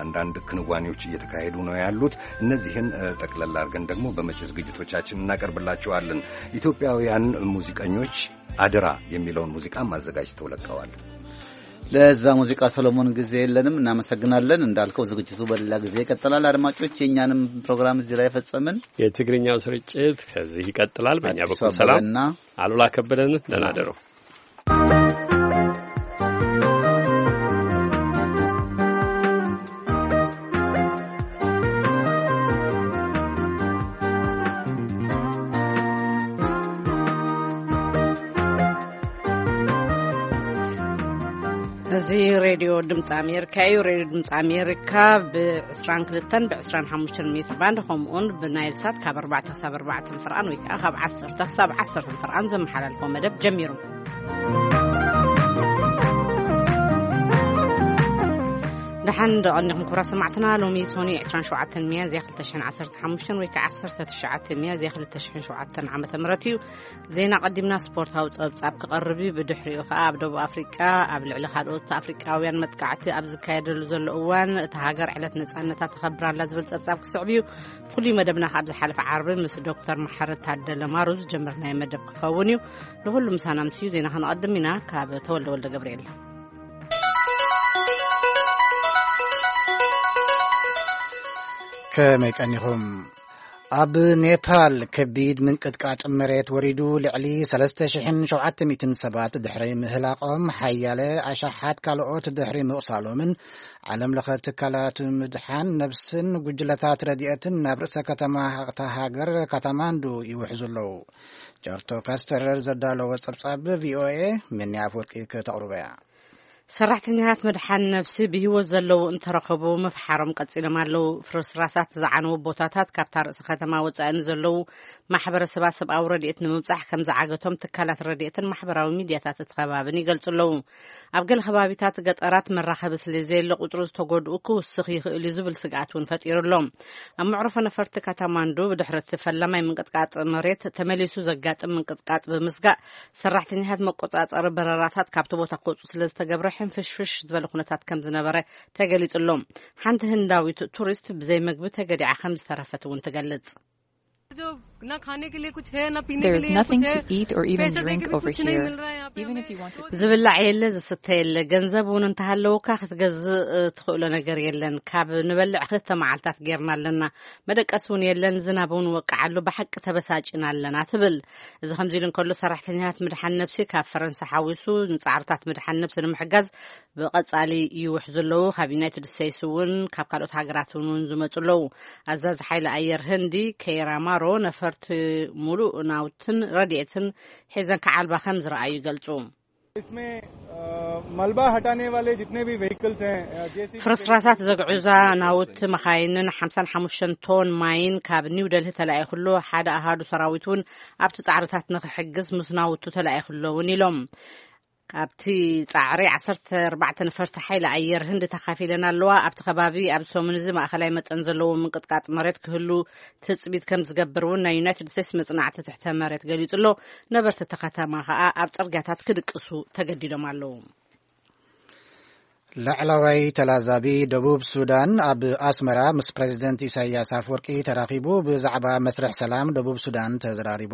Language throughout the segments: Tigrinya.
አንዳንድ ክንዋኔዎች እየተካሄዱ ነው ያሉት። እነዚህን እ፣ ጠቅለል አድርገን ደግሞ በመጪው ዝግጅቶቻችን እናቀርብላችኋለን። ኢትዮጵያውያን ሙዚቀኞች አደራ የሚለውን ሙዚቃም አዘጋጅተው ለቀዋል። ለዛ ሙዚቃ ሰሎሞን፣ ጊዜ የለንም። እናመሰግናለን። እንዳልከው ዝግጅቱ በሌላ ጊዜ ይቀጥላል። አድማጮች፣ የእኛንም ፕሮግራም እዚህ ላይ ፈጸምን። የትግርኛው ስርጭት ከዚህ ይቀጥላል። በእኛ አዲሱ በኩል ሰላም። አበበና አሉላ ከበደን፣ ደህና ደሩ። እዚ ሬድዮ ድምፂ ኣሜሪካ እዩ። ሬድዮ ድምፂ ኣሜሪካ ብ22 ብ25 ሜትር ባንድ፣ ከምኡውን ብናይል ሳት ካብ ኣርባዕተ ክሳብ ኣርባዕተ ፍርቓን ወይ ከዓ ካብ ዓሰርተ ክሳብ ዓሰርተ ፍርቓን ዘመሓላልፎ መደብ ጀሚሩ። ደሓን ደቐኒኹም ክቡራት ሰማዕትና። ሎሚ ሶኒ 27 ሚያዝያ 2015 ወይ ከዓ 19 ሚያዝያ 2007 ዓመተ ምህረት እዩ። ዜና ቀዲምና ስፖርታዊ ጸብጻብ ክቐርብ እዩ። ብድሕሪኡ ከኣ ኣብ ደቡብ ኣፍሪቃ ኣብ ልዕሊ ካልኦት ኣፍሪቃውያን መጥቃዕቲ ኣብ ዝካየደሉ ዘሎ እዋን እታ ሃገር ዕለት ነጻነታ ተኸብራላ ዝብል ጸብጻብ ክስዕብ እዩ። ፍሉይ መደብና ከኣ ኣብ ዝሓለፈ ዓርቢ ምስ ዶክተር መሓረ ታደለ ማሩ ዝጀመርናዮ መደብ ክኸውን እዩ። ንኹሉ ምሳና ምስዩ ዜና ከነቐድም ኢና። ካብ ተወልደ ወልደ ገብርኤል። ከመይ ቀኒኹም? ኣብ ኔፓል ከቢድ ምንቅጥቃጥ መሬት ወሪዱ፣ ልዕሊ 3,700 ሰባት ድሕሪ ምህላቖም፣ ሓያለ ኣሽሓት ካልኦት ድሕሪ ምቑሳሎምን፣ ዓለም ለኸ ትካላት ምድሓን ነብስን ጉጅለታት ረድኤትን ናብ ርእሰ ከተማ እታ ሃገር ካታማንዱ ይውሕዙ ኣለዉ። ጃርቶ ካስተረር ዘዳለወ ጸብጻብ ቪኦኤ፣ ምንያ ኣፈወርቂ ከተቕርቦ እያ። ሰራሕተኛታት መድሓን ነብሲ ብህይወት ዘለዉ እንተረኸቡ ምፍሓሮም ቀጺሎም ኣለዉ። ፍርስራሳት ዝዓነዉ ቦታታት ካብታ ርእሰ ከተማ ወጻኢ ንዘለዉ ማሕበረሰባት ሰብኣዊ ረድኤት ንምብጻሕ ከም ዝዓገቶም ትካላት ረድኤትን ማሕበራዊ ሚድያታት እቲ ከባብን ይገልጹ ኣለዉ። ኣብ ገለ ከባቢታት ገጠራት መራኸቢ ስለ ዘየለ ቁጽሪ ዝተጎድኡ ክውስኽ ይኽእል እዩ ዝብል ስግኣት እውን ፈጢሩ ኣሎ። ኣብ መዕርፎ ነፈርቲ ካታማንዱ ብድሕሪ እቲ ፈላማይ ምንቅጥቃጥ መሬት ተመሊሱ ዘጋጥም ምንቅጥቃጥ ብምስጋእ ሰራሕተኛታት መቆጻጸሪ በረራታት ካብቲ ቦታ ክወጹ ስለ ዝተገብረ ሕንፍሽፍሽ ዝበለ ኩነታት ከም ዝነበረ ተገሊጹ ኣሎ። ሓንቲ ህንዳዊት ቱሪስት ብዘይ መግቢ ተገዲዓ ከም ዝተረፈት እውን ትገልጽ። जो ना खाने के लिए कुछ है, ना पीने के लिए कुछ है। There is nothing to eat or even drink over here, even if you want to. ዝብላዕ የለ፣ ዝስተ የለ። ገንዘብ እውን እንተሃለውካ ክትገዝእ እ፣ ትኽእሎ ነገር የለን። ካብ ንበልዕ ክልተ መዓልታት ጌርና ኣለና። መደቀሲ እውን የለን። ዝናብ እውን ወቃዓሉ። ብሓቂ ተበሳጭና ኣለና ትብል። እዚ ከምዚ ኢሉ እንከሎ ሰራሕተኛታት ምድሓን ነብሲ ካብ ፈረንሳ ሓዊሱ ንጻዕርታት ምድሓን ነብሲ ንምሕጋዝ ብቐጻሊ ይውሕዙ ኣለዉ። ካብ ዩናይትድ ስቴትስ እውን ካብ ካልኦት ሃገራት እውን ዝመጹ ኣለዉ። ኣዛዚ ሓይሊ ኣየር ህንዲ ኬራ ማሮ ነፈርቲ ሙሉእ ናውትን ረድኤትን ሒዘን ክዓልባ ከም ዝረኣዩ ይገልጹ። इसमें, अ, मलबा हटाने वाले जितने भी व्हीकल्स हैं, अ, जेसीबी फ्ርስራሳት ዘግዕዛ ናውቲ መኻይንን 55 ቶን ማይን ካብ ኒው ደልሂ ተላኢኹ ኣሎ። ሓደ ኣሃዱ ሰራዊት እውን ኣብቲ ጻዕርታት ንኽሕግዝ ምስ ናውቱ ተላኢኹ ኣሎ እውን ኢሎም። ኣብቲ ጻዕሪ 14 ነፈርቲ ሓይሊ ኣየር ህንዲ ተኻፊለን ኣለዋ። ኣብቲ ከባቢ ኣብ ሰሙን እዚ ማእኸላይ መጠን ዘለዎ ምንቅጥቃጥ መሬት ክህሉ ትጽቢት ከም ዝገብር እውን ናይ ዩናይትድ ስቴትስ መጽናዕቲ ትሕተ መሬት ገሊጹ ኣሎ። ነበርቲ እቲ ከተማ ከኣ ኣብ ጽርግያታት ክድቅሱ ተገዲዶም ኣለዉ። ላዕላዋይ ተላዛቢ ደቡብ ሱዳን ኣብ ኣስመራ ምስ ፕሬዚደንት ኢሳያስ ኣፈወርቂ ተራኺቡ ብዛዕባ መስርሕ ሰላም ደቡብ ሱዳን ተዘራሪቡ።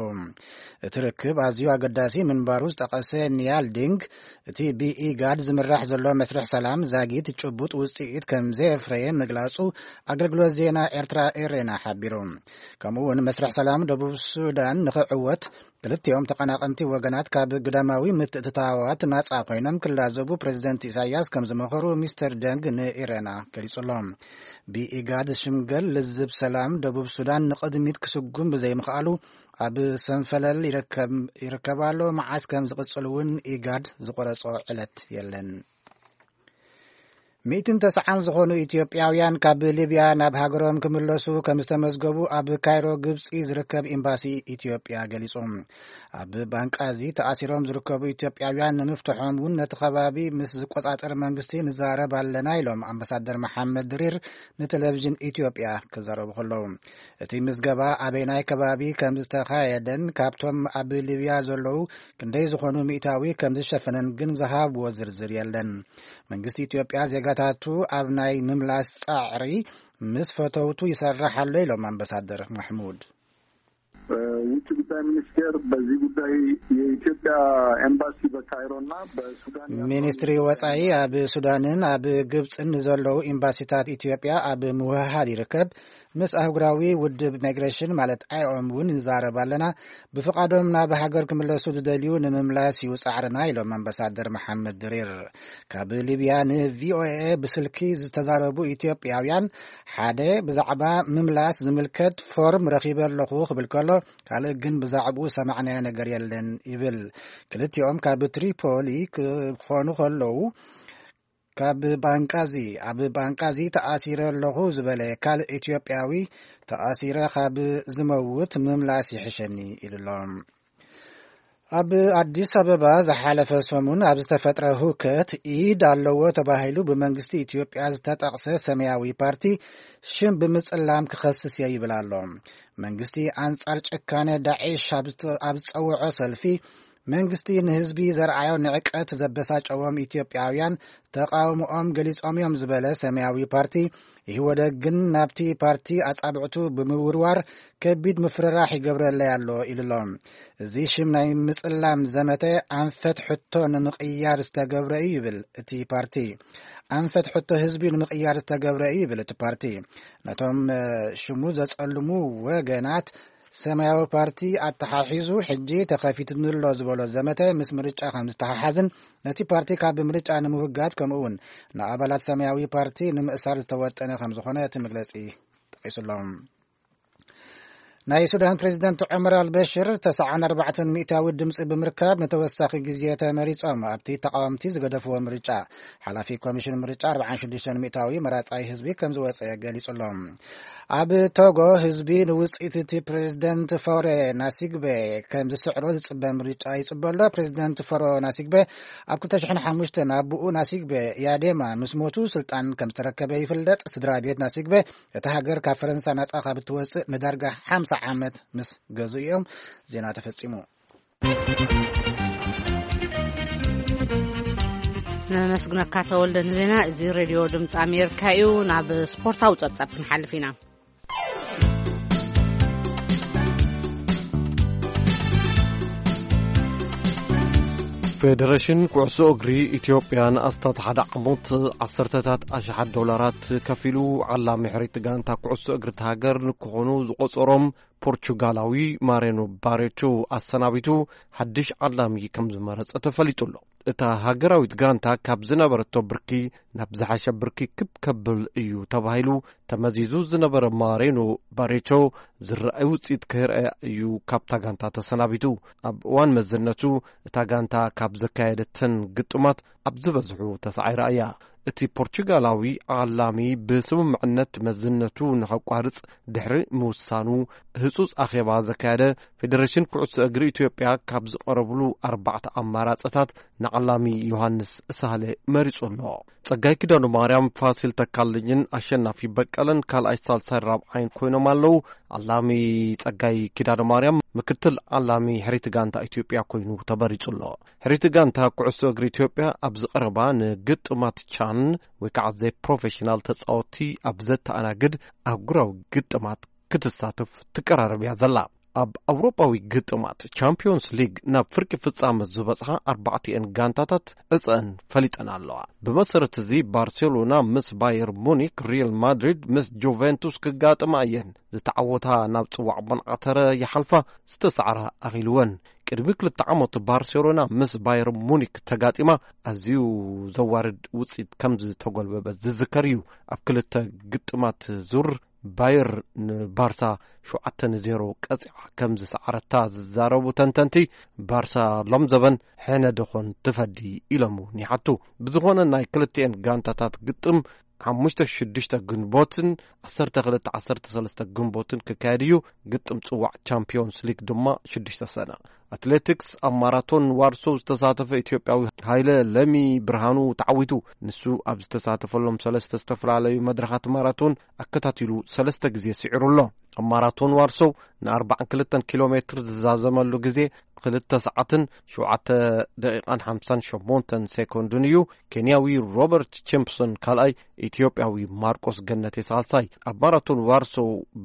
እቲ ርክብ ኣዝዩ ኣገዳሲ ምንባሩ ዝጠቐሰ ኒያል ዲንግ፣ እቲ ብኢጋድ ዝምራሕ ዘሎ መስርሕ ሰላም ዛጊት ጭቡጥ ውጽኢት ከም ዘየፍረየ ምግላጹ ኣገልግሎት ዜና ኤርትራ ኤሬና ሓቢሩ። ከምኡ እውን መስርሕ ሰላም ደቡብ ሱዳን ንኽዕወት ክልቲኦም ተቐናቐንቲ ወገናት ካብ ግዳማዊ ምትእትታዋት ናጻ ኮይኖም ክላዘቡ ፕሬዚደንት ኢሳያስ ከም ዝመኸሩ ሚስተር ደንግ ንኢሬና ገሊጹ ኣሎ። ብኢጋድ ዝሽምገል ልዝብ ሰላም ደቡብ ሱዳን ንቕድሚት ክስጉም ብዘይምኽኣሉ ኣብ ሰንፈለል ይርከብ፣ ይርከብ ኣሎ። መዓስ ከም ዝቕጽል እውን ኢጋድ ዝቆረጾ ዕለት የለን። ሚእትን ተስዓን ዝኾኑ ኢትዮጵያውያን ካብ ሊብያ ናብ ሃገሮም ክምለሱ ከም ዝተመዝገቡ ኣብ ካይሮ ግብጺ ዝርከብ ኤምባሲ ኢትዮጵያ ገሊጹ። ኣብ ባንቃዚ ተኣሲሮም ዝርከቡ ኢትዮጵያውያን ንምፍትሖም እውን ነቲ ከባቢ ምስ ዝቆጻጸር መንግስቲ ንዛረብ ኣለና ኢሎም ኣምባሳደር መሓመድ ድሪር ንቴሌቪዥን ኢትዮጵያ ክዛረቡ ከለዉ፣ እቲ ምዝገባ ኣበይናይ ከባቢ ከም ዝተኻየደን ካብቶም ኣብ ሊብያ ዘለዉ ክንደይ ዝኾኑ ሚእታዊ ከም ዝሸፈነን ግን ዝሃብዎ ዝርዝር የለን። መንግስቲ ኢትዮጵያ ዜጋ ንብፅዕታቱ ኣብ ናይ ምምላስ ፃዕሪ ምስ ፈተውቱ ይሰርሕ ኣሎ ኢሎም ኣምባሳደር ማሕሙድ። ውጭ ጉዳይ ሚኒስቴር በዚህ ጉዳይ የኢትዮጵያ ኤምባሲ በካይሮና በሱዳን ያለው ሚኒስትሪ ወጻኢ ኣብ ሱዳንን ኣብ ግብጽን ንዘለዉ ኤምባሲታት ኢትዮጵያ ኣብ ምውህሃድ ይርከብ። ምስ ኣህጉራዊ ውድብ ማይግሬሽን ማለት ኣይኦም እውን ንዛረብ ኣለና። ብፍቓዶም ናብ ሃገር ክምለሱ ዝደልዩ ንምምላስ እዩ ጻዕርና ኢሎም ኣምባሳደር መሓመድ ድሪር። ካብ ሊብያ ንቪኦኤ ብስልኪ ዝተዛረቡ ኢትዮጵያውያን ሓደ ብዛዕባ ምምላስ ዝምልከት ፎርም ረኺበ ኣለኹ ክብል ከሎ፣ ካልእ ግን ብዛዕባኡ ሰማዕናዮ ነገር የለን ይብል። ክልቲኦም ካብ ትሪፖሊ ክኾኑ ከለዉ፣ ካብ ባንቃዚ፣ ኣብ ባንቃዚ ተኣሲረ ኣለኹ ዝበለ ካልእ ኢትዮጵያዊ፣ ተኣሲረ ካብ ዝመውት ምምላስ ይሕሸኒ ኢሉ ኣሎ። ኣብ ኣዲስ ኣበባ ዝሓለፈ ሰሙን ኣብ ዝተፈጥረ ሁከት ኢድ ኣለዎ ተባሂሉ ብመንግስቲ ኢትዮጵያ ዝተጠቕሰ ሰማያዊ ፓርቲ ሽም ብምጽላም ክኸስስ እየ ይብል ኣሎ። መንግስቲ ኣንጻር ጭካነ ዳዒሽ ኣብ ዝጸ-፣ ኣብ ዝጸውዖ ሰልፊ፣ መንግስቲ ንህዝቢ ዘርኣዮ ንዕቀት ዘበሳጨዎም ኢትዮጵያውያን ተቓውሞኦም ገሊጾም እዮም ዝበለ ሰማያዊ ፓርቲ፣ ኢህወደግ ግን ናብቲ ፓርቲ ኣጻብዕቱ ብምውርዋር ከቢድ ምፍርራሕ ይገብረለይ ኣሎ ኢሉ ኣሎ። እዚ ሽም ናይ ምጽላም ዘመተ ኣንፈት ሕቶ ንምቕያር ዝተገብረ እዩ ይብል እቲ ፓርቲ። ኣንፈት ሕቶ ህዝቢ ንምቕያር ዝተገብረ እዩ ይብል እቲ ፓርቲ። ነቶም፣ እ፣ ሽሙ ዘጸልሙ ወገናት ሰማያዊ ፓርቲ ኣተሓሒዙ ሕጂ ተኸፊቱኒ ኣሎ ዝበሎ ዘመተ ምስ ምርጫ ከም ዝተሓሓዝን ነቲ ፓርቲ ካብ ምርጫ ንምውጋድ ከምኡ እውን ንኣባላት ሰማያዊ ፓርቲ ንምእሳር ዝተወጠነ ከም ዝኾነ እቲ መግለጺ ጠቒሱ ኣሎ። ናይ ሱዳን ፕሬዚደንት ዑመር ኣልበሽር ተስዓን ኣርባዕተን ሚእታዊ ድምፂ ብምርካብ ንተወሳኺ ግዜ ተመሪጾም ኣብቲ ተቃወምቲ ዝገደፍዎ ምርጫ። ሓላፊ ኮሚሽን ምርጫ ኣርባዓን ሽዱሽተን ሚእታዊ መራጻይ ህዝቢ ከም ዝወጸ ገሊጹ ኣሎ። ኣብ ቶጎ ህዝቢ ንውጽኢት እቲ ፕሬዚደንት ፎሬ ናሲግቤ ከም ዝስዕሮ ዝጽበ ምርጫ ይጽበ ኣሎ። ፕሬዚደንት ፎሮ ናሲግቤ ኣብ ክልተ ሽሕን ሓሙሽተን ኣቦኡ ናሲግቤ ያዴማ ምስ ሞቱ ስልጣን ከም ዝተረከበ ይፍለጥ። ስድራ ቤት ናሲግቤ እታ ሃገር ካብ ፈረንሳ ናጻ ካብ እትወጽእ ንዳርጋ ሓምሳ ዓመት ምስ ገዙ እዮም። ዜና ተፈጺሙ። ነመስግነካ ተወልደ ንዜና። እዚ ሬድዮ ድምፂ ኣሜሪካ እዩ። ናብ ስፖርታዊ ጸብጻብ ክንሓልፍ ኢና። ፌደሬሽን ኩዕሶ እግሪ ኢትዮጵያ ንኣስታት ሓደ ዓመት ዓሰርተታት ኣሽሓት ዶላራት ከፊሉ ዓላሚ ሕሪት ጋንታ ኩዕሶ እግሪ እታ ሃገር ንክኾኑ ዝቆጸሮም ፖርቹጋላዊ ማሬኖ ባሬቾ ኣሰናቢቱ ሓድሽ ዓላሚ ከም ዝመረጸ ተፈሊጡ ኣሎ። እታ ሃገራዊት ጋንታ ካብ ዝነበረቶ ብርኪ ናብ ዝሓሸ ብርኪ ክብ ከብል እዩ ተባሂሉ ተመዚዙ ዝነበረ ማሬኖ ባሬቾ ዝረኣይ ውጽኢት ከይረኣየ እዩ ካብታ ጋንታ ተሰናቢቱ። ኣብ እዋን መዝነቱ እታ ጋንታ ካብ ዘካየደተን ግጥማት ኣብ ዝበዝሑ ተሳዒራ እያ። እቲ ፖርቹጋላዊ ዓላሚ ብስምምዕነት መዝነቱ ንኸቋርጽ ድሕሪ ምውሳኑ ህጹጽ ኣኼባ ዘካየደ ፌደሬሽን ኩዕሶ እግሪ ኢትዮጵያ ካብ ዝቐረብሉ ኣርባዕተ ኣማራጽታት ንዓላሚ ዮሃንስ ሳህለ መሪጹ ኣሎ። ጸጋይ ኪዳነ ማርያም፣ ፋሲል ተካልኝን ኣሸናፊ በቀለን ካልኣይ፣ ሳልሳይ፣ ራብዓይን ኮይኖም ኣለዉ። ዓላሚ ጸጋይ ኪዳነ ማርያም ምክትል ዓላሚ ሕሪት ጋንታ ኢትዮጵያ ኮይኑ ተመሪጹ ኣሎ። ሕሪት ጋንታ ኩዕሶ እግሪ ኢትዮጵያ ኣብዚ ቀረባ ንግጥማት ቻን ወይ ከዓ ዘይ ፕሮፌሽናል ተጻወትቲ ኣብ ዘተኣናግድ ኣህጉራዊ ግጥማት ክትሳተፍ ትቀራረብ እያ ዘላ። ኣብ ኣውሮጳዊ ግጥማት ቻምፒዮንስ ሊግ ናብ ፍርቂ ፍጻመ ዝበጽሓ ኣርባዕቲኤን ጋንታታት ዕጸን ፈሊጠን ኣለዋ። ብመሰረት እዚ ባርሴሎና ምስ ባየር ሙኒክ፣ ሪያል ማድሪድ ምስ ጁቬንቱስ ክጋጥማ እየን። ዝተዓወታ ናብ ጽዋዕ ቦንዓተረ ይሓልፋ፣ ዝተሳዕራ ኣኺልወን። ቅድሚ ክልተ ዓመት ባርሴሎና ምስ ባየር ሙኒክ ተጋጢማ ኣዝዩ ዘዋርድ ውጽኢት ከም ዝተጎልበበት ዝዝከር እዩ። ኣብ ክልተ ግጥማት ዙር ባየር ንባርሳ ሸውዓተ ንዜሮ ቀጺዓ ከም ዝሰዓረታ ዝዛረቡ ተንተንቲ፣ ባርሳ ሎም ዘበን ሕነ ደኾን ትፈዲ ኢሎም እውን ይሓቱ። ብዝኾነ ናይ ክልቲኤን ጋንታታት ግጥም ሓሙሽተ ሽዱሽተ ግንቦትን ዓሰርተ ክልተ ዓሰርተ ሰለስተ ግንቦትን ክካየድ እዩ። ግጥም ጽዋዕ ቻምፒዮንስ ሊግ ድማ ሽዱሽተ ሰነ። ኣትሌቲክስ ኣብ ማራቶን ዋርሶ ዝተሳተፈ ኢትዮጵያዊ ሃይለ ለሚ ብርሃኑ ተዓዊቱ። ንሱ ኣብ ዝተሳተፈሎም ሰለስተ ዝተፈላለዩ መድረኻት ማራቶን ኣከታቲሉ ሰለስተ ግዜ ስዒሩ ኣሎ። ኣብ ማራቶን ዋርሶ ንኣርባዓን ክልተን ኪሎ ሜትር ዝዛዘመሉ ግዜ ክልተ ሰዓትን ሸውዓተ ደቂቓን ሓምሳን ሸሞንተን ሴኮንድን እዩ። ኬንያዊ ሮበርት ቺምፕሶን ካልኣይ፣ ኢትዮጵያዊ ማርቆስ ገነቴ ሳልሳይ። ኣብ ማራቶን ዋርሶ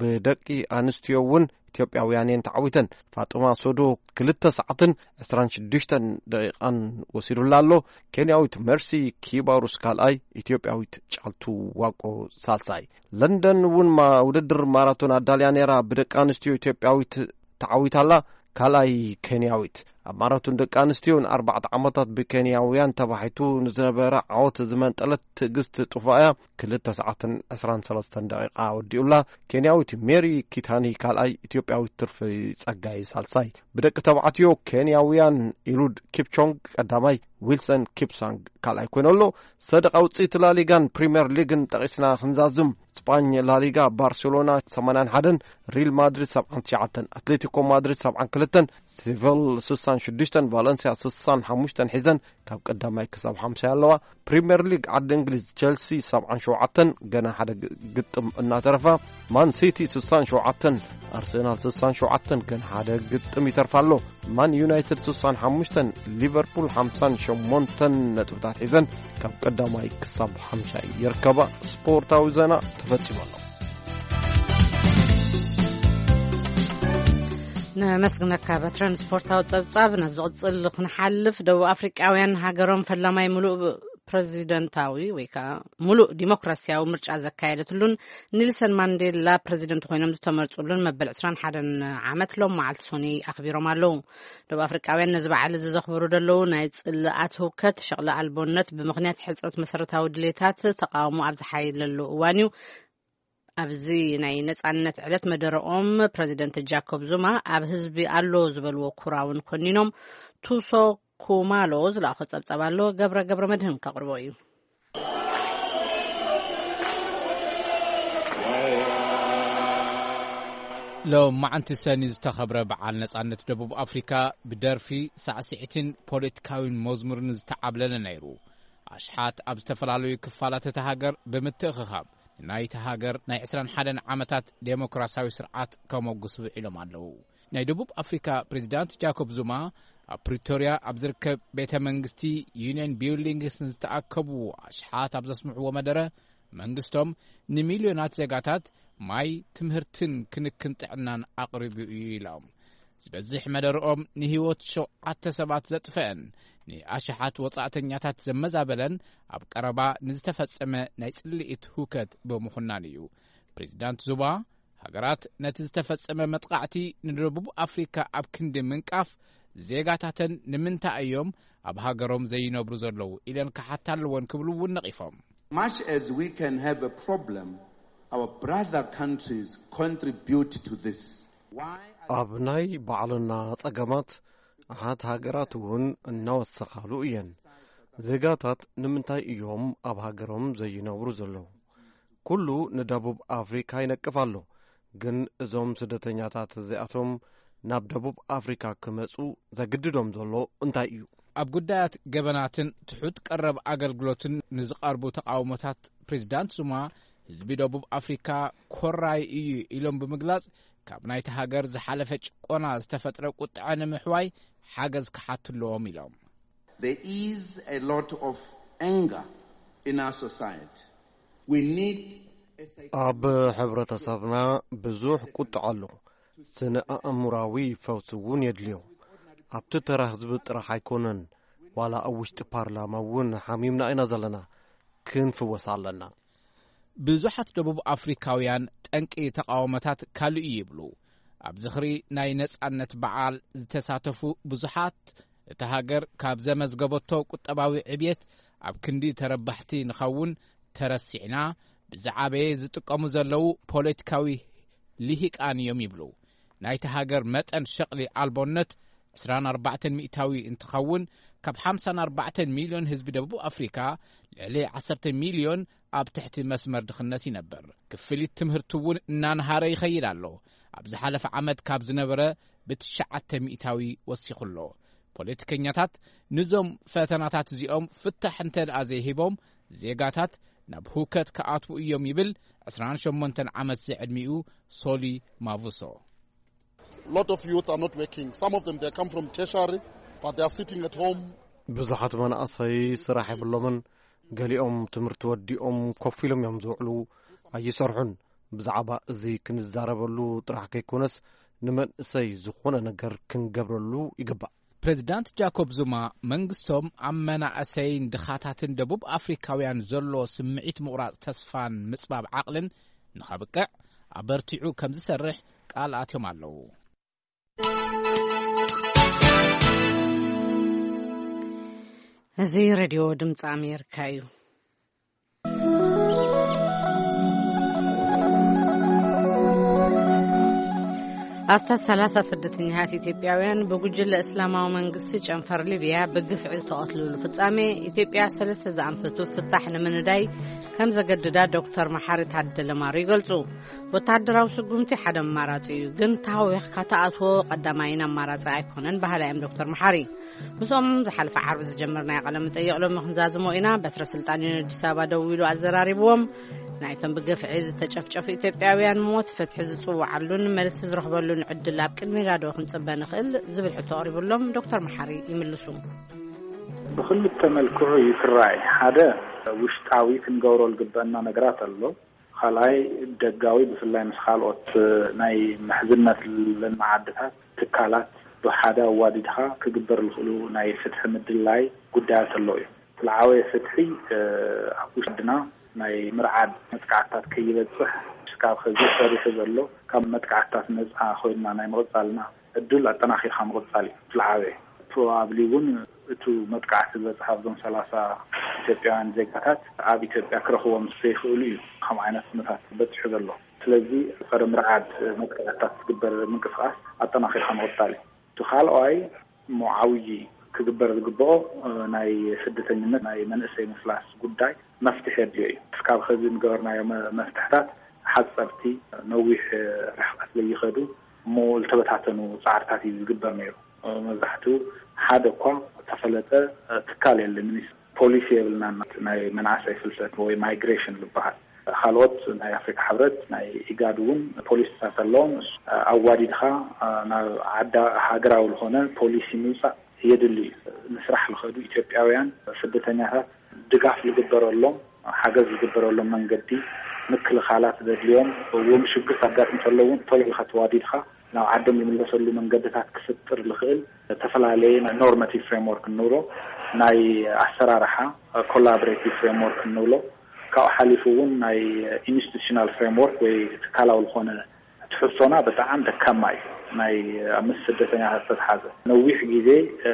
ብደቂ ኣንስትዮ እውን ኢትዮጵያውያን እየን ተዓዊተን። ፋጥማ ሶዶ ክልተ ሰዓትን ዕስራን ሽዱሽተን ደቂቓን ወሲዱላ ኣሎ። ኬንያዊት መርሲ ኪባሩስ ካልኣይ፣ ኢትዮጵያዊት ጫልቱ ዋቆ ሳልሳይ። ለንደን እውን ማ-፣ ውድድር ማራቶን ኣዳልያ ነይራ። ብደቂ ኣንስትዮ ኢትዮጵያዊት ተዓዊታላ፣ ካልኣይ ኬንያዊት። ኣብ ማራቶን ደቂ ኣንስትዮ ንኣርባዕተ ዓመታት ብኬንያውያን ተባሒቱ ንዝነበረ ዓወት ዝመንጠለት ትዕግስት ጡፋያ ክልተ ሰዓትን ዕስራን ሰለስተን ደቂቓ ወዲኡላ። ኬንያዊት ሜሪ ኪታኒ ካልኣይ፣ ኢትዮጵያዊት ትርፊ ጸጋይ ሳልሳይ። ብደቂ ተባዕትዮ ኬንያውያን ኢሉድ ኪፕቾንግ ቀዳማይ፣ ዊልሰን ኪፕሳንግ ካልኣይ ኮይኑ ኣሎ። ሰደቓ ውጽኢት ላሊጋን ፕሪምየር ሊግን ጠቒስና ክንዛዝም፣ ስጳኝ ላሊጋ ባርሴሎና ሰማንያን ሓደን፣ ሪል ማድሪድ ሰብዓን ትሽዓተን፣ ኣትሌቲኮ ማድሪድ ሰብዓን ክልተን፣ ሴቪል ስሳን ሽዱሽተን፣ ቫለንሲያ ስሳን ሓሙሽተን ሒዘን ካብ ቀዳማይ ክሳብ ሓምሳይ ኣለዋ። ፕሪምየር ሊግ ዓዲ እንግሊዝ፣ ቸልሲ ሰብዓን ሸውዓተን፣ ገና ሓደ ግ-፣ ግጥም እናተረፋ። ማን ሲቲ ስሳን ሸውዓተን፣ ኣርሰናል ስሳን ሸውዓተን፣ ገና ሓደ ግጥም ይተርፋ ኣሎ። ማን ዩናይትድ ስሳን ሓሙሽተን፣ ሊቨርፑል ሓምሳን ሸሞንተን ነጥብታት ሒዘን ካብ ቀዳማይ ክሳብ ሓምሻይ ይርከባ። ስፖርታዊ ዜና ተፈጺሙ ኣሎ። ነመስግነካ በትረን። ስፖርታዊ ጸብጻብ ናብ ዝቕጽል ክንሓልፍ፣ ደቡብ ኣፍሪቃውያን ሃገሮም ፈላማይ ምሉእ ፕረዚደንታዊ ወይ ከዓ ምሉእ ዲሞክራሲያዊ ምርጫ ዘካየደትሉን ኔልሰን ማንዴላ ፕረዚደንት ኮይኖም ዝተመርጹሉን መበል ዕስራን ሓደን ዓመት ሎም መዓልቲ ሶኒ ኣኽቢሮም ኣለዉ። ደቡብ ኣፍሪቃውያን ነዚ በዓል እዚ ዘኽብሩ ዘለዉ ናይ ጽልኣት ህውከት፣ ሸቕሊ ኣልቦነት፣ ብምኽንያት ሕጽረት መሰረታዊ ድሌታት ተቃውሞ ኣብ ዝሓየለሉ እዋን እዩ። ኣብዚ ናይ ነጻነት ዕለት መደረኦም ፕረዚደንት ጃኮብ ዙማ ኣብ ህዝቢ ኣሎ ዝበልዎ ኩራውን ኮኒኖም። ቱሶ ኩማሎ ዝለኣኾ ጸብጻብ ኣሎ፣ ገብረ ገብረ መድህን ከቕርቦ እዩ። ሎም መዓንቲ ሰኒ ዝተኸብረ በዓል ነጻነት ደቡብ ኣፍሪካ ብደርፊ፣ ሳዕስዒትን ፖለቲካዊን መዝሙርን ዝተዓብለለ ነይሩ። ኣሽሓት ኣብ ዝተፈላለዩ ክፋላት እታ ሃገር ብምትእኽኻብ፣ ናይቲ ሃገር ናይ ዕስራን ሓደን ዓመታት ዴሞክራሲያዊ ስርዓት ከመጉስ ውዒሎም ኣለዉ። ናይ ደቡብ ኣፍሪካ ፕሬዚዳንት ጃኮብ ዙማ ኣብ ፕሪቶርያ ኣብ ዝርከብ ቤተ መንግስቲ ዩኒየን ቢልዲንግስ ንዝተኣከቡ ኣሽሓት ኣብ ዘስምዕዎ መደረ፣ መንግስቶም ንሚልዮናት ዜጋታት ማይ፣ ትምህርትን ክንክን ጥዕናን ኣቕሪቡ እዩ ኢሎም። ዝበዝሕ መደርኦም ንህይወት ሸውዓተ ሰባት ዘጥፈአን፣ ንኣሽሓት ወጻእተኛታት ዘመዛበለን፣ ኣብ ቀረባ ንዝተፈጸመ ናይ ጽልኢት ህውከት ብምኹናን እዩ። ፕሬዚዳንት ዙማ፣ ሃገራት ነቲ ዝተፈጸመ መጥቃዕቲ ንደቡብ ኣፍሪካ ኣብ ክንዲ ምንቃፍ፣ ዜጋታተን ንምንታይ እዮም ኣብ ሃገሮም ዘይነብሩ ዘለዉ ኢለን ክሓታ ኣለወን ክብሉ እውን ነቒፎም። Much as we can have a problem, our brother countries contribute to this. Why are ኣብ ናይ ባዕልና ጸገማት ኣሓት ሃገራት እውን እናወሰኻሉ እየን። ዜጋታት ንምንታይ እዮም ኣብ ሃገሮም ዘይነብሩ ዘለዉ? ኩሉ ንደቡብ ኣፍሪካ ይነቅፍ ኣሎ። ግን እዞም ስደተኛታት እዚኣቶም ናብ ደቡብ ኣፍሪካ ክመጹ ዘግድዶም ዘሎ እንታይ እዩ? ኣብ ጉዳያት ገበናትን ትሑት ቀረብ ኣገልግሎትን ንዝቐርቡ ተቓውሞታት ፕሬዚዳንት ዙማ፣ ህዝቢ ደቡብ ኣፍሪካ ኮራይ እዩ ኢሎም ብምግላጽ፣ ካብ ናይቲ ሃገር ዝሓለፈ ጭቆና ዝተፈጥረ ቁጥዐ ንምሕዋይ ሓገዝ ክሓቱ ኣለዎም ኢሎም። There is a lot of anger in our society. We need a psych- ኣብ ሕብረተሰብና ብዙሕ ቁጥዐ ኣሎ። ስነ ኣእምራዊ ፈውሲ እውን የድልዮ። ኣብቲ ተራ ህዝቢ ጥራሕ ኣይኮነን፣ ዋላ ኣብ ውሽጢ ፓርላማ እውን ሓሚምና ኢና ዘለና። ክንፍወስ ኣለና። ብዙሓት ደቡብ ኣፍሪካውያን ጠንቂ ተቓውሞታት ካልእ እዩ ይብሉ። ኣብ ዝኽሪ ናይ ነጻነት በዓል ዝተሳተፉ ብዙሓት፣ እታ ሃገር ካብ ዘመዝገበቶ ቁጠባዊ ዕብየት ኣብ ክንዲ ተረባሕቲ ንኸውን ተረሲዕና፣ ብዝዓበየ ዝጥቀሙ ዘለዉ ፖለቲካዊ ልሂቃን እዮም ይብሉ። ናይቲ ሃገር መጠን ሸቕሊ ኣልቦነት ዕስራን ኣርባዕተን ሚእታዊ እንትኸውን፣ ካብ ሓምሳን ኣርባዕተን ሚልዮን ህዝቢ ደቡብ ኣፍሪካ ልዕሊ ዓሰርተ ሚልዮን ኣብ ትሕቲ መስመር ድኽነት ይነብር። ክፍሊት ትምህርቲ እውን እናንሃረ ይኸይድ ኣሎ። ኣብ ዝሓለፈ ዓመት ካብ ዝነበረ ብትሽዓተ ሚእታዊ ወሲኹ ኣሎ። ፖለቲከኛታት፣ ንዞም ፈተናታት እዚኦም ፍታሕ እንተ ደኣ ዘይሂቦም፣ ዜጋታት ናብ ህውከት ክኣትዉ እዮም ይብል ዕስራን ሸሞንተን ዓመት ዝዕድሚኡ ሶሊ ማቭሶ። Lot of youth are not working. Some of them, they come from tertiary, but they are sitting at home. ብዙሓት መናእሰይ ስራሕ የብሎምን። ገሊኦም ትምህርቲ ወዲኦም ኮፍ ኢሎም እዮም ዝውዕሉ፣ ኣይሰርሑን። ብዛዕባ እዚ ክንዛረበሉ ጥራሕ ከይኮነስ፣ ንመንእሰይ ዝኾነ ነገር ክንገብረሉ ይግባእ። ፕሬዚዳንት ጃኮብ ዙማ፣ መንግስቶም ኣብ መናእሰይን ድኻታትን ደቡብ ኣፍሪካውያን ዘሎ ስምዒት ምቑራጽ ተስፋን ምጽባብ ዓቕልን ንኸብቅዕ ኣበርቲዑ ከም ዝሰርሕ ቃል ኣትዮም ኣለዉ። እዚ ሬድዮ ድምፂ ኣሜሪካ እዩ። ኣስታት ሰላሳ ስደተኛታት ኢትዮጵያውያን ብጉጅለ እስላማዊ መንግስቲ ጨንፈር ሊብያ ብግፍዒ ዝተቐትልሉ ፍጻሜ፣ ኢትዮጵያ ሰለስተ ዝኣንፈቱ ፍታሕ ንምንዳይ ከም ዘገድዳ ዶክተር መሓሪ ታደለ ማሩ ይገልጹ። ወተሃደራዊ ስጉምቲ ሓደ ኣማራጺ እዩ፣ ግን ተሃዊኽካ ተኣትዎ ቀዳማይን ኣማራጺ ኣይኮነን በሃላይ እዮም ዶክተር መሓሪ። ምስኦም ዝሓለፈ ዓርቢ ዝጀመርናዮ ቃለ መጠይቕ ሎሚ ክንዛዝሞ ኢና። በትረ ስልጣን እዩ ኣዲስ ኣበባ ደዊሉ ኣዘራሪብዎም። ናይቶም ብግፍዒ ዝተጨፍጨፉ ኢትዮጵያውያን ሞት ፍትሒ ዝጽውዓሉን መልሲ ዝረኽበሉን ዕድል ኣብ ቅድሚና ዶ ክንጽበ ንኽእል ዝብል ሕቶ ኣቕሪቡሎም ዶክተር መሓሪ ይምልሱ። ብኽልተ መልክዑ እዩ ክረኣይ። ሓደ፣ ውሽጣዊ ክንገብሮ ዝግበአና ነገራት ኣሎ። ካልኣይ፣ ደጋዊ፣ ብፍላይ ምስ ካልኦት ናይ ምሕዝነት ለንመዓድታት ትካላት ብሓደ ኣዋዲድካ ክግበር ዝኽእሉ ናይ ፍትሒ ምድላይ ጉዳያት ኣለዉ እዮም። እቲ ዝዓበየ ፍትሒ፣ እ፣ ኣብ ውሽጢ ዓድና ናይ ምርዓድ መጥቃዕትታት ከይበጽሕ፣ ስካብ ሕዚ ሰሪሑ ዘሎ፣ ካብ መጥቃዕትታት ነጻ ኮይንና ናይ ምቕጻልና ዕድል ኣጠናኺርካ ምቕጻል እዩ እቲ ዝዓበየ። ፕሮባብሊ እውን እቱ መጥቃዕቲ ዝበጽሓ ኣብዞም ሰላሳ ኢትዮጵያውያን ዜጋታት ኣብ ኢትዮጵያ ክረኽቦም ዘይኽእሉ እዩ ከም ዓይነት ኩነታት በጺሑ ዘሎ። ስለዚ ጸረ ምርዓድ መጥቃዕትታት ዝግበር ምንቅስቃስ ኣጠናኺርካ ምቕጻል እዩ። እቲ ካልኣይ እሞ ዓብዪ ክግበር ዝግብኦ፣ እ፣ ናይ ስደተኝነት ናይ መንእሰይ ምፍላስ ጉዳይ መፍትሒ የድልዮ እዩ። እስካብ ኸዚ ዝገበርናዮ መ-፣ መፍትሕታት ሓፀርቲ፣ ነዊሕ ርሕቀት ዘይኸዱ እሞ ዝተበታተኑ ፃዕርታት እዩ ዝግበር ነይሩ። መብዛሕትኡ ሓደ እኳ ተፈለጠ ትካል የለን። ፖሊሲ የብልናን። ናይ መናእሰይ ፍልሰት ወይ ማይግሬሽን ዝበሃል፣ ካልኦት ናይ ኣፍሪካ ሕብረት፣ ናይ ኢጋድ እውን ፖሊሲታት ኣለዎም። ኣዋዲድካ ናብ ዓዳ ሃገራዊ ዝኾነ ፖሊሲ ምውፃእ የድሊ እዩ። ንስራሕ ዝኸዱ ኢትዮጵያውያን ስደተኛታት ድጋፍ ዝግበረሎም፣ ሓገዝ ዝግበረሎም መንገዲ፣ ምክልኻላት ዘድልዮም፣ እውን ሽግር ኣጋጥም እንተሎ እውን ቶሎ ኢልካ ተዋዲድካ ናብ ዓዶም ዝምለሰሉ መንገድታት ክፍጥር ዝኽእል ዝተፈላለየ ናይ ኖርማቲቭ ፍሬምወርክ እንብሎ፣ ናይ ኣሰራርሓ ኮላቦሬቲቭ ፍሬምወርክ እንብሎ፣ ካብኡ ሓሊፉ እውን ናይ ኢንስቲቱሽናል ፍሬምወርክ ወይ ትካላዊ ዝኾነ ትሕዝቶና ብጣዕሚ ደካማ እዩ። ናይ ምስ ስደተኛታት ዝተትሓዘ ነዊሕ ግዜ፣ እ፣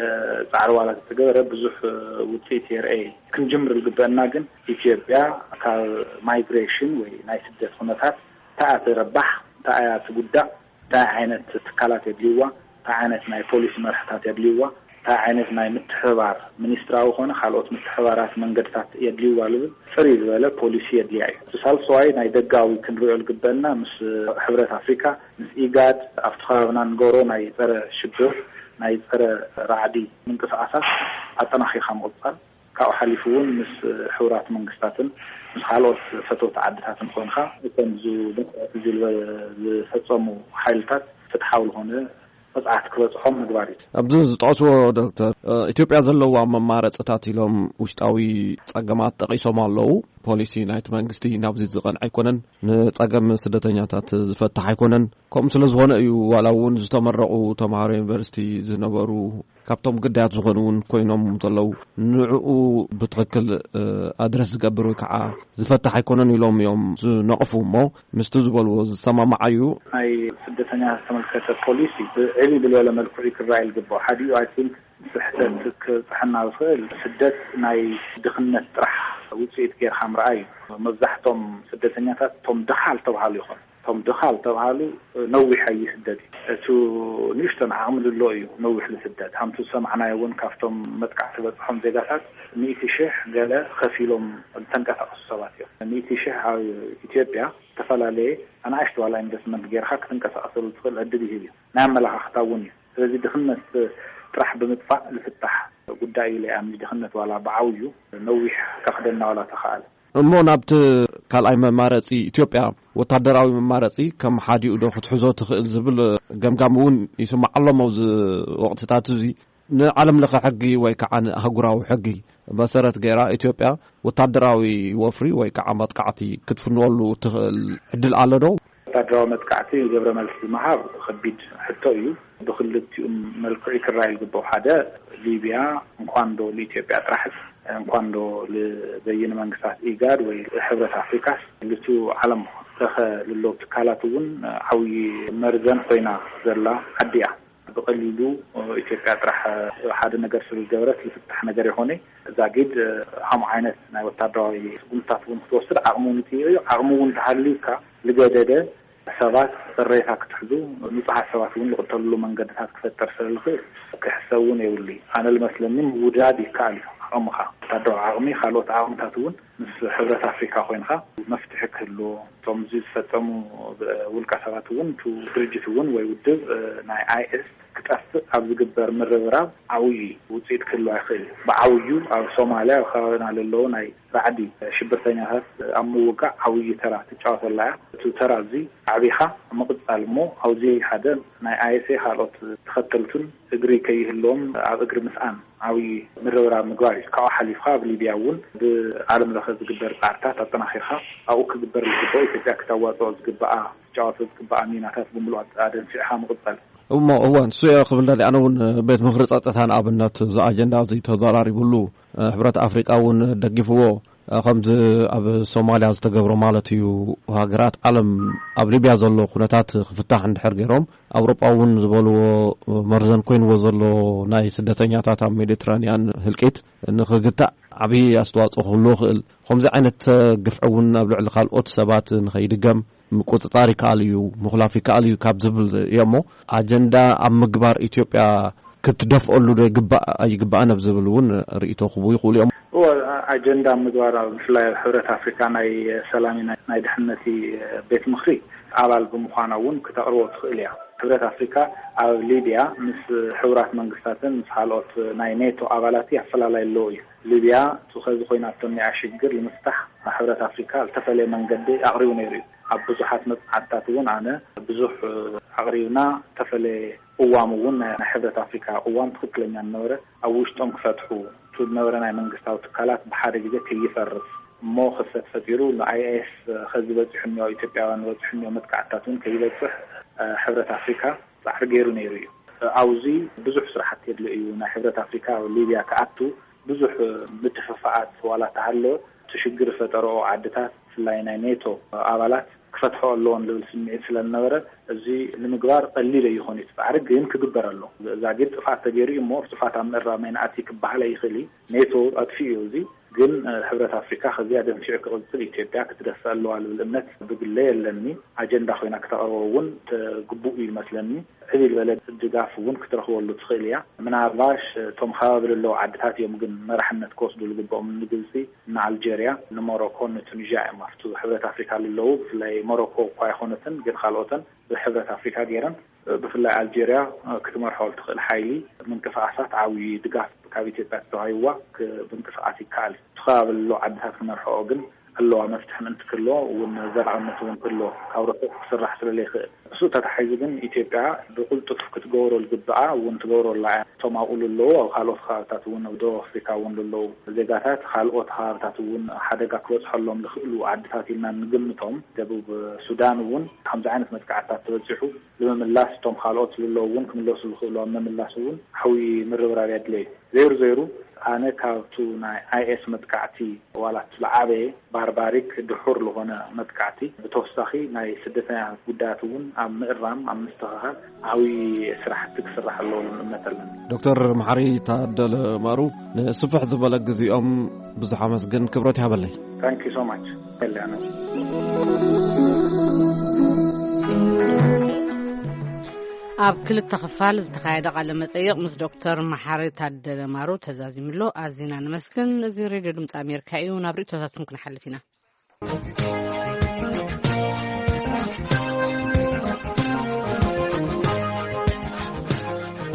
ፃዕሪ ዋላ ተተገበረ ብዙሕ፣ እ፣ ውፅኢት የርአ። ክንጅምር ዝግበአና ግን ኢትዮጵያ ካብ ማይግሬሽን ወይ ናይ ስደት ኩነታት እንታይ እያ ትረባሕ፣ እንታይ እያ ትጉዳእ፣ እንታይ ዓይነት ትካላት የድልይዋ፣ እንታይ ዓይነት ናይ ፖሊሲ መርሕታት የድልይዋ፣ እንታይ ዓይነት ናይ ምትሕብባር ሚኒስትራዊ ኮነ ካልኦት ምትሕብባራት መንገድታት የድልይዋ ዝብል ፅርይ ዝበለ ፖሊሲ የድልያ እዩ። እቲ ሳልሰዋይ ናይ ደጋዊ ክንሪኦ ዝግበአና ምስ ሕብረት ኣፍሪካ፣ ምስ ኢጋድ፣ ኣብቲ ከባብና ንገብሮ ናይ ፀረ ሽብር፣ ናይ ፀረ ራዕዲ ምንቅስቃሳት ኣጠናኺርካ ምቕፃል፣ ካብኡ ሓሊፉ እውን ምስ ሕቡራት መንግስታትን ምስ ካልኦት ፈተውቲ ዓድታትን ኮይንካ እቶም ዝ-፣ ዝፈፀሙ ሓይልታት ፍትሓዊ ዝኾነ ቅፅዓት ክበፅሖም ምግባር እዩ። ኣብዚ ዝጠቕስዎ ዶክተር፣ እ፣ ኢትዮጵያ ዘለዋ መማረፅታት ኢሎም ውሽጣዊ ፀገማት ጠቒሶም ኣለዉ። ፖሊሲ ናይቲ መንግስቲ ናብዚ ዝቐንዐ ኣይኮነን፣ ንፀገም ስደተኛታት ዝፈትሕ ኣይኮነን። ከምኡ ስለ ዝኾነ እዩ ዋላ እውን ዝተመረቑ ተምሃሮ ዩኒቨርሲቲ ዝነበሩ ካብቶም ግዳያት ዝኾኑ እውን ኮይኖም ዘለዉ፣ ንዕኡ ብትኽክል፣ እ፣ ኣድረስ ዝገብር ወይ ከዓ ዝፈትሕ ኣይኮነን ኢሎም እዮም ዝነቕፉ። እሞ ምስቲ ዝበልዎ ዝሰማማዕ እዩ። ናይ ስደተኛ ዝተመልከተ ፖሊሲ ብዕብይ ብዝበለ መልክዑ ክረኣይ ዝግባኦ። ሓዲኡ፣ ኣይ ቲንክ፣ ስሕተት ክብፅሐና ዝኽእል ስደት ናይ ድኽነት ጥራሕ ውፅኢት ጌርካ ምርኣይ እዩ። መብዛሕቶም ስደተኛታት እቶም ድኻ ዝተብሃሉ ይኾኑ። እቶም ድኻ ዝተብሃሉ ነዊሕ ኣይስደድ እዩ። እቱ ንእሽቶን ዓቕሚ ዝሎ እዩ ነዊሕ ዝስደድ። ሃምቱ ዝሰማዕናዮ እውን ካብቶም መጥቃዕቲ ዝበፅሖም ዜጋታት ሚእቲ ሽሕ ገለ ከፊሎም ዝተንቀሳቐሱ ሰባት እዮም። ሚእቲ ሽሕ ኣብ ኢትዮጵያ ዝተፈላለየ ኣናእሽቱ ዋላ ኢንቨስትመንት ጌርካ ክትንቀሳቐሰሉ ትኽእል ዕድል ይህብ እዩ። ናይ ኣመለኻኽታ እውን እዩ። ስለዚ ድኽነት ጥራሕ ብምጥፋእ ዝፍታሕ ጉዳይ እዩ ኢለ እየ ኣምኒ። ድኽነት ዋላ ብዓብዩ ነዊሕ ከኽደና ዋላ ተኸኣለ። እሞ ናብቲ ካልኣይ መማረፂ ኢትዮጵያ ወታደራዊ መማረፂ ከም ሓዲኡ ዶ ክትሕዞ ትኽእል ዝብል ገምጋም እውን ይስማዕ ኣሎ ኣብዚ ወቕትታት እዚ። ንዓለም ለኸ ሕጊ ወይ ከዓ ንኣህጉራዊ ሕጊ መሰረት ገይራ ኢትዮጵያ ወታደራዊ ወፍሪ ወይ ከዓ መጥቃዕቲ ክትፍንወሉ ትኽእል ዕድል ኣሎ ዶ? ወታደራዊ መጥቃዕቲ ግብረ መልሲ ምሃብ ከቢድ ሕቶ እዩ። ብክልቲኡ መልክዑ ክረኣይ ዝግብኦ ሓደ፣ ሊብያ እንኳን ዶ ንኢትዮጵያ ጥራሕ፣ እንኳን ዶ ንበይነ መንግስታት ኢጋድ ወይ ሕብረት ኣፍሪካስ፣ ልቱ ዓለም ለኸ ልለው ትካላት እውን ዓብዪ መርዘን ኮይና ዘላ ዓዲ እያ። ብቐሊሉ ኢትዮጵያ ጥራሕ ሓደ ነገር ስለ ዝገበረት ዝፍታሕ ነገር ይኾነ። ዛጊድ ከምኡ ዓይነት ናይ ወታደራዊ ስጉምትታት እውን ክትወስድ ዓቕሚ እውን ይጥይቕ እዩ። ዓቕሚ እውን እንተሃልዩካ፣ ዝገደደ ሰባት ቅሬታ ክትሕዙ፣ ንጹሃት ሰባት እውን ዝቕተልሉ መንገድታት ክፈጠር ስለ ዝኽእል ክሕሰብ እውን የብሉ። ኣነ ዝመስለኒ ምውዳድ ይከኣል እዩ። ዓቕምኻ፣ ወታደራዊ ዓቕሚ፣ ካልኦት ዓቕምታት እውን ምስ ሕብረት ኣፍሪካ ኮይንካ መፍትሒ ክህልዎ፣ እቶም እዚ ዝፈጸሙ ውልቀ ሰባት እውን፣ እቲ ድርጅት እውን ወይ ውድብ ናይ ኣይ ኤስ ክጠፍእ ኣብ ዝግበር ምርብራብ ዓብዪ ውፅኢት ክህልዎ ይኽእል እዩ። ብዓብዩ ኣብ ሶማልያ፣ ኣብ ከባቢና ለለዉ ናይ ራዕዲ ሽብርተኛታት ኣብ ምውጋእ ዓብዪ ተራ ትጫወተላ እያ። እቲ ተራ እዚ ኣዕቢኻ ምቕፃል እሞ፣ ኣብዚ ሓደ ናይ ኣይ ኤስ ካልኦት ተኸተልቱን እግሪ ከይህልዎም ኣብ እግሪ ምስኣን ዓብዪ ምርብራብ ምግባር እዩ። ካብኡ ሓሊፍካ ኣብ ሊብያ እውን ብዓለም ለኸ ዝግበር ፃዕርታት ኣጠናኺርካ ኣብኡ ክግበር ዝግብኦ፣ ኢትዮጵያ ክተዋፅኦ ዝግብኣ፣ ክትጫወቶ ዝግብኣ ሚናታት ብምሉእ ኣደንፊዕካ ምቕፃል። እሞ እዋን እሱ እየ ክብል ደሊ። ኣነ እውን ቤት ምኽሪ ጸጥታ ንኣብነት እዚ ኣጀንዳ እዚ ተዘራሪቡሉ፣ ሕብረት ኣፍሪቃ እውን ደጊፍዎ፣ ከምዚ ኣብ ሶማልያ ዝተገብሮ ማለት እዩ። ሃገራት ዓለም ኣብ ሊብያ ዘሎ ኩነታት ክፍታሕ እንድሕር ገይሮም፣ ኣውሮጳ እውን ዝበልዎ መርዘን ኮይንዎ ዘሎ ናይ ስደተኛታት ኣብ ሜዲትራንያን ህልቂት ንኽግታእ ዓብዪ ኣስተዋጽኦ ክህልዎ ይኽእል። ከምዚ ዓይነት ግፍዒ እውን ኣብ ልዕሊ ካልኦት ሰባት ንኸይድገም ምቁጽጻር ይከኣል እዩ፣ ምኹላፍ ይከኣል እዩ ካብ ዝብል እየ እሞ፣ ኣጀንዳ ኣብ ምግባር ኢትዮጵያ ክትደፍኦሉ ዶ ይግባእ ኣይግባእን ኣብ ዝብል እውን ርእይቶ ክህቡ ይኽእሉ እዮም። እወ፣ ኣጀንዳ ኣብ ምግባር፣ ኣብ ብፍላይ ኣብ ሕብረት ኣፍሪካ ናይ ሰላም ናይ፣ ናይ ድሕነት ቤት ምኽሪ ኣባል ብምዃና እውን ክተቕርቦ ትኽእል እያ። ሕብረት ኣፍሪካ ኣብ ሊብያ ምስ ሕቡራት መንግስታትን ምስ ካልኦት ናይ ኔቶ ኣባላት ኣፈላላይ ኣለዎ እዩ። ሊብያ እቲ ኸዚ ኮይናቶ እኒኣ ሽግር ንምፍታሕ ሕብረት ኣፍሪካ ዝተፈለየ መንገዲ ኣቕሪቡ ነይሩ እዩ። ኣብ ብዙሓት መፅናዕትታት እውን ኣነ ብዙሕ ኣቕሪብና፣ ዝተፈለየ ቅዋም እውን ናይ፣ ናይ ሕብረት ኣፍሪካ ቅዋም ትኽክለኛ ነበረ። ኣብ ውሽጦም ክፈትሑ፣ እቲ ዝነበረ ናይ መንግስታዊ ትካላት ብሓደ ግዜ ከይፈርስ እሞ ክፍተት ፈጢሩ፣ ንኣይ ኤስ ኸዚ በፂሑ እኒኦ፣ ኢትዮጵያውያን በፂሑ እኒኦ መጥቃዕትታት እውን ከይበፅሕ፣ እ፣ ሕብረት ኣፍሪካ ፃዕሪ ገይሩ ነይሩ እዩ። ኣብዚ ብዙሕ ስራሕቲ የድልዮ እዩ። ናይ ሕብረት ኣፍሪካ ኣብ ሊብያ ክኣቱ ብዙሕ ምትፍፋኣት ዋላ ተሃለወ፣ እቲ ሽግር ዝፈጠረኦ ዓድታት፣ ብፍላይ ናይ ኔቶ ኣባላት ክፈትሖ ኣለዎን ዝብል ስምዒት ስለ ዝነበረ፣ እዚ ንምግባር ቀሊል ኣይኾን እዩ። እቲ ፃዕሪ ግን ክግበር ኣሎ። ዛጊድ ጥፍኣት ተገይሩ እዩ እሞ፣ ጥፍኣት ኣብ ምእራም ኣይንኣቲ ክበሃል ኣይኽእል እዩ። ኔቶ ኣጥፊኡ እዩ። እዚ ግን፣ እ፣ ሕብረት ኣፍሪካ ከዚኣ ደንፊዑ ክቕፅል ኢትዮጵያ ክትደፍእ ኣለዋ ዝብል እምነት ብግለ የለኒ። ኣጀንዳ ኮይና ክተቕርቦ እውን ተ-፣ ግቡእ እዩ ይመስለኒ። ዕብይ ዝበለ ድጋፍ እውን ክትረኽበሉ ትኽእል እያ። ምናልባሽ እቶም ከባቢ ዘለዉ ዓድታት እዮም ግን መራሕነት ክወስዱ ዝግብኦም፣ ንግብፂ፣ ንኣልጀርያ፣ ንሞሮኮ፣ ንቱኒዥያ እዮም ኣብቲ ሕብረት ኣፍሪካ ዘለዉ። ብፍላይ ሞሮኮ እኳ ኣይኮነትን፣ ግን ካልኦተን ብሕብረት ኣፍሪካ ገይረን፣ ብፍላይ ኣልጀርያ ክትመርሖ ትኽእል ሓይሊ ምንቅስቃሳት ዓብዪ ድጋፍ ካብ ኢትዮጵያ ተተዋሂብዋ ክ-፣ ምንቅስቃስ ይከኣል እዩ። እቲ ከባቢ ዘሎ ዓድታት ክመርሖኦ ግን ኣለዋ። መፍትሒ ምእንቲ ክህልዎ እውን ዘላቕነት እውን ክህልዎ ካብ ርሑቕ ክስራሕ ስለ ዘይክእል፣ እሱ ተታሒዙ ግን ኢትዮጵያ ብቕልጡፍ ክትገብሮ ዝግብኣ እውን ትገብሮ ኣላ እያ። እቶም ኣብኡ ዘለዉ ኣብ ካልኦት ከባብታት እውን ኣብ ደቡብ ኣፍሪካ እውን ዘለዉ ዜጋታት ካልኦት ከባብታት እውን ሓደጋ ክበፅሐሎም ዝኽእሉ ዓድታት ኢልና እንግምቶም፣ ደቡብ ሱዳን እውን ከምዚ ዓይነት መጥቃዕትታት ተበፂሑ ንምምላስ፣ እቶም ካልኦት ዘለዉ እውን ክምለሱ ዝኽእሉ ኣብ ምምላስ እውን ዓብዪ ምርብራብ የድለዩ። ዘይሩ ዘይሩ ኣነ ካብቱ ናይ ኣይ ኤስ መጥቃዕቲ ዋላ እቲ ዝዓበየ ባርባሪክ ድሑር ዝኾነ መጥቃዕቲ ብተወሳኺ ናይ ስደተኛታት ጉዳያት እውን ኣብ ምእራም፣ ኣብ ምስትኽኻል ዓብዪ ስራሕቲ ክስራሕ ኣለዎ ዝብል እምነት ኣለኒ። ዶክተር መሓሪ ታደለ ማሩ፣ ንስፍሕ ዝበለ ግዜኦም ብዙሕ ኣመስግን፣ ክብረት ይሃበለይ። Thank you so much። የለ ኣነ። ኣብ ክልተ ክፋል ዝተኻየደ ቃለ መጠይቕ ምስ ዶክተር መሓሪ ታደለ ማሩ ተዛዚሙ ኣሎ። ኣዚና ንመስግን። እዚ ሬድዮ ድምፂ ኣሜሪካ እዩ። ናብ ርእይቶታትኩም ክንሓልፍ ኢና።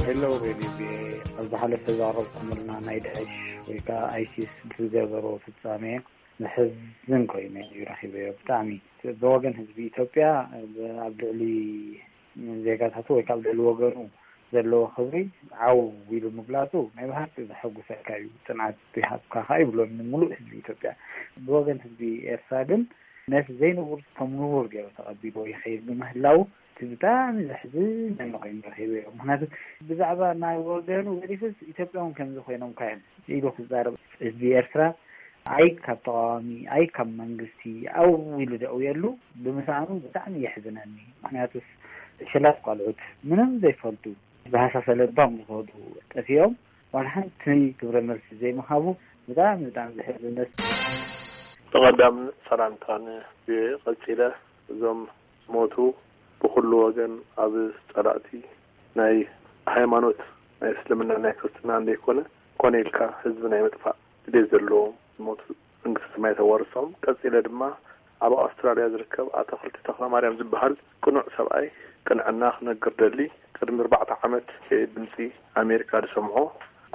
ሄሎ ሬድዮ ቪኦኤ፣ ኣብ ዝሓለፈ ዘቕረብኩምልና ናይ ዳዕሽ ወይ ከዓ ኣይሲስ ብዝገበሮ ፍጻሜ ዘሕዝን ኮይኑ እዩ ረኺበዮ። ብጣዕሚ ብወገን ህዝቢ ኢትዮጵያ ኣብ ልዕሊ ዜጋታቱ ወይ ካብ ልዕሊ ወገኑ ዘለዎ ክብሪ ዓው ኢሉ ምግላጹ ናይ ብሓቂ ዘሐጉሰካ እዩ። ጽንዓት ይሃብካ ከኣ ይብሎ ንምሉእ ህዝቢ ኢትዮጵያ። ብወገን ህዝቢ ኤርትራ ግን ነቲ ዘይንቡር ከም ንቡር ገይሩ ተቐቢልዎ ይኸይድ ብምህላው እቲ ብጣዕሚ ዘሕዝን ኮይኑ ረኺበዮ። ምክንያቱ ብዛዕባ ናይ ወገኑ ገዲፉስ ኢትዮጵያ እውን ከምዚ ኮይኖም ካዮም ኢሉ ክዛረብ ህዝቢ ኤርትራ ኣይ ካብ ተቃዋሚ ኣይ ካብ መንግስቲ ዓው ኢሉ ደእውየሉ ብምስኣኑ ብጣዕሚ የሕዝነኒ። ምክንያቱስ ሽላት ቆልዑት ምንም ዘይፈልጡ ብሃሳሰ ለባም ዝኸዱ ጠፊኦም ዋላ ሓንቲ ግብረ መልሲ ዘይምሃቡ ብጣዕሚ ብጣዕሚ ዘሕዝን። ብቐዳም ሰላምታን ቀጺለ እዞም ዝሞቱ ብኹሉ ወገን ኣብ ጸላእቲ ናይ ሃይማኖት ናይ እስልምና ናይ ክርስትና እንደይኮነ ኮነ ኢልካ ህዝቢ ናይ ምጥፋእ ድሌት ዘለዎም ዝሞቱ መንግስቲ ሰማይ ተዋርሶም። ቀጺለ ድማ ኣብ ኣውስትራልያ ዝርከብ ኣቶ ክልቲ ተኽለ ማርያም ዝበሃል ቅኑዕ ሰብኣይ ቅንዕና ክነግር ደሊ። ቅድሚ ኣርባዕተ ዓመት ድምፂ ኣሜሪካ ዝሰምዖ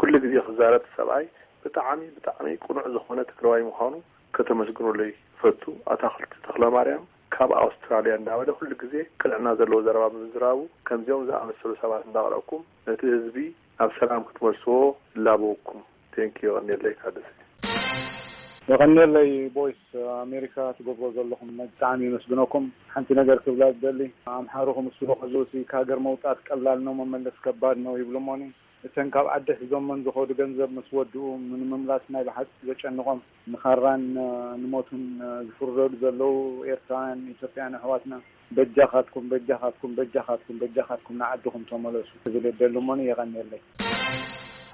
ኩሉ ግዜ ክዛረብ ሰብኣይ ብጣዕሚ ብጣዕሚ ቅኑዕ ዝኾነ ትግራዋይ ምዃኑ ከተመስግኑለይ ይፈቱ። ኣቶ ክልቲ ተኽለ ማርያም ካብ ኣውስትራልያ እንዳበለ ኩሉ ግዜ ቅንዕና ዘለዎ ዘረባ ብምዝራቡ ከምዚኦም ዝኣመሰሉ ሰባት እንዳቕረብኩም ነቲ ህዝቢ ናብ ሰላም ክትመልስዎ እላበወኩም። ቴንኪዩ። የቐንየለይ ካደሰ። የቐንየለይ ቦይስ ኣሜሪካ ትገብሮ ዘለኹም ብጣዕሚ የመስግነኩም። ሓንቲ ነገር ክብላ ዝደሊ ኣምሓሩ ክምስሉ ከለዉ ሲ ካብ ሃገር መውጣት ቀላል ነው መመለስ ከባድ ነው ይብሉ እሞኒ እተን ካብ ዓዲ ሒዞመን ዝኸዱ ገንዘብ ምስ ወድኡ ንምምላስ ናይ ብሓቂ ዘጨንቖም ንኻራን ንሞቱን ዝፍርደሉ ዘለዉ ኤርትራውያን ኢትዮጵያን ኣሕዋትና በጃኻትኩም በጃኻትኩም በጃኻትኩም በጃኻትኩም ንዓድኹም ተመለሱ ክብል የደሊ እሞኒ የቐንየለይ።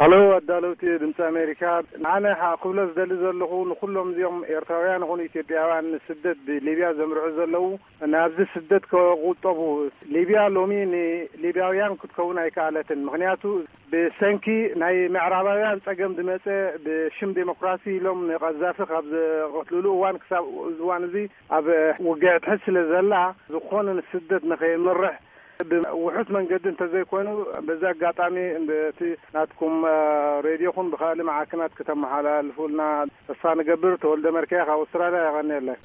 ሃሎ ኣዳለውቲ ድምፂ ኣሜሪካ፣ ኣነ ከዓ ክብሎ ዝደሊ ዘለኹ ንኩሎም እዚኦም ኤርትራውያን ይኹኑ ኢትዮጵያውያን ንስደት ብሊብያ ዘምርሑ ዘለዉ ናብዚ ስደት ከቁጠቡ። ሊብያ ሎሚ ንሊብያውያን ክትከውን ኣይከኣለትን። ምክንያቱ ብሰንኪ ናይ ምዕራባውያን ጸገም ዝመጸ ብሽም ዴሞክራሲ ኢሎም ንቀዛፊ ካብ ዝቐትልሉ እዋን ክሳብ እዚ እዋን እዚ ኣብ ውግዕ ትሕት ስለ ዘላ ዝኾነ ንስደት ንኸይምርሕ ብውሑስ መንገዲ እንተዘይኮይኑ በዚ ኣጋጣሚ እቲ ናትኩም ሬድዮኹም ብካልእ መዓከናት ከተመሓላልፉልና ተስፋ ንገብር። ተወልደ መርካያ ካብ ኣውስትራልያ። የቐንየለይ።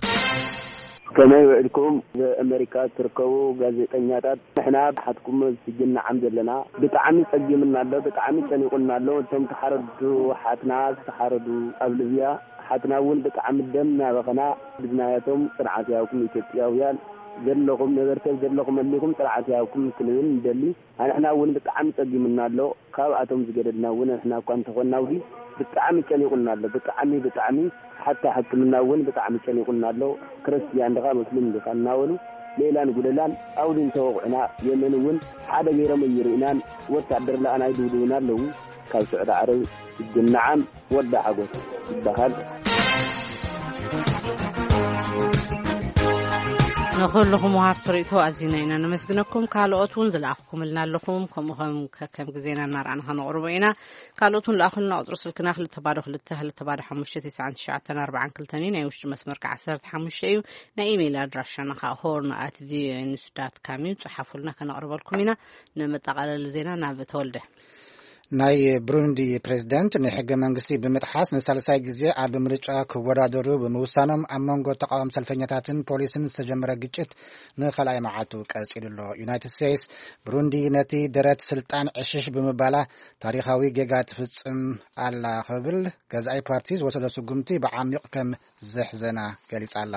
ከመይ ውዕልኩም? ኣብ ኣሜሪካ እትርከቡ ጋዜጠኛታት፣ ንሕና ብሓትኩም ስጅናዓም ዘለና። ብጣዕሚ ጸጊምና ኣሎ፣ ብጣዕሚ ጨኒቁና ኣሎ። እቶም ተሓረዱ ሓትና ዝተሓረዱ ኣብ ልብያ ሓትና እውን ብጣዕሚ ደም እናበኸና ብዝናያቶም ጽንዓት ያውኩም ኢትዮጵያውያን ዘለኹም ነበርተብ ዘለኹም ኣሊኹም ጽንዓት ያውኩም ክንብል ንደሊ። ኣንሕና እውን ብጣዕሚ ጸጊምና ኣሎ። ካብኣቶም ዝገደድና እውን ንሕና እኳ እንተኾንና ውዲ ብጣዕሚ ጨኒቁና ኣሎ። ብጣዕሚ ብጣዕሚ ሓታ ሕክምና እውን ብጣዕሚ ጨኒቁና ኣሎ። ክርስትያን ድኻ ሙስሊም ድኻ እናበሉ ሌላን ጉደላን ኣውዲ እንተወቕዑና የመን እውን ሓደ ገይሮም ኣይርእናን። ወታደር ለኣና ይድብድቡና ኣለዉ። ካብ ስዑዲ ዓረብ እጅ ነዓም ወዲ ሓጎስ ይበሃል። ንኹልኹም ወሃብቲ ርእይቶ ኣዚና ኢና ነመስግነኩም። ካልኦት እውን ዝለኣኽኩምልና ኣለኹም። ከምኡ ከም ከከም ግዜና እናረኣና ከነቕርቦ ኢና። ካልኦት እውን ለኣኹልና። ቁፅሪ ስልክና ክልተ ባዶ ክልተ ክልተ ባዶ ሓሙሽተ ተስዓን ትሽዓተን ኣርባዓን ክልተን እዩ። ናይ ውሽጢ መስመር ከዓ ዓሰርተ ሓሙሽተ እዩ። ናይ ኢሜይል ኣድራሻና ከዓ ሆርን ኣት ቪኦኤ ኒውስ ዳት ካም እዩ። ፀሓፉልና፣ ከነቕርበልኩም ኢና። ንመጠቓለሊ ዜና ናብ ተወልደ። ናይ ብሩንዲ ፕሬዝደንት ንሕገ መንግስቲ ብምጥሓስ ንሳልሳይ ግዜ ኣብ ምርጫ ክወዳደሩ ብምውሳኖም ኣብ መንጎ ተቃወም ሰልፈኛታትን ፖሊስን ዝተጀመረ ግጭት ንኻልኣይ መዓልቱ ቀጺሉ ኣሎ። ዩናይትድ ስቴትስ ብሩንዲ ነቲ ደረት ስልጣን ዕሽሽ ብምባላ ታሪኻዊ ጌጋ ትፍጽም ኣላ ክብል ገዛኢ ፓርቲ ዝወሰዶ ስጉምቲ ብዓሚቕ ከም ዘሕዘና ገሊጻ ኣላ።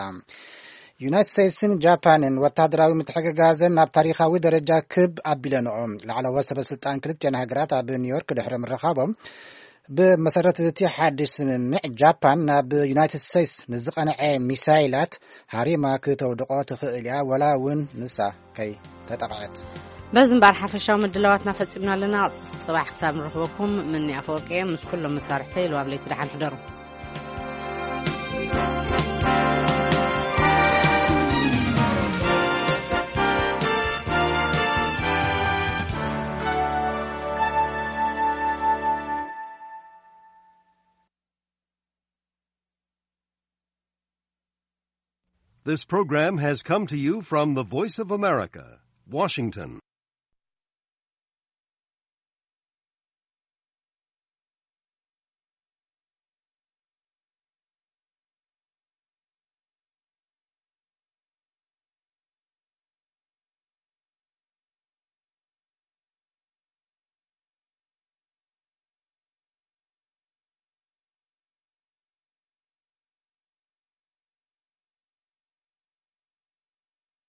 ዩናይትድ ስቴትስን ጃፓንን ወታደራዊ ምትሕግጋዘን ናብ ታሪኻዊ ደረጃ ክብ ኣቢለንኦ። ላዕለዎት ሰበ ስልጣን ክልቲኣን ሃገራት ኣብ ኒውዮርክ ድሕሪ ምርኻቦም ብመሰረት እቲ ሓድሽ ስምምዕ ጃፓን ናብ ዩናይትድ ስቴትስ ንዝቐንዐ ሚሳይላት ሃሪማ ክተውድቖ ትኽእል እያ፣ ወላ እውን ንሳ ከይተጠቕዐት። በዚ እምበኣር ሓፈሻዊ ምድላዋትና ፈጺምና ኣለና። ጽባሕ ክሳብ ንረኽበኩም ምኒ ኣፈወርቂ እየ ምስ ኩሎም መሳርሕተይ። ኢሉ ኣብ ለይቲ ደሓን ሕደሩ። This program has come to you from the Voice of America, Washington.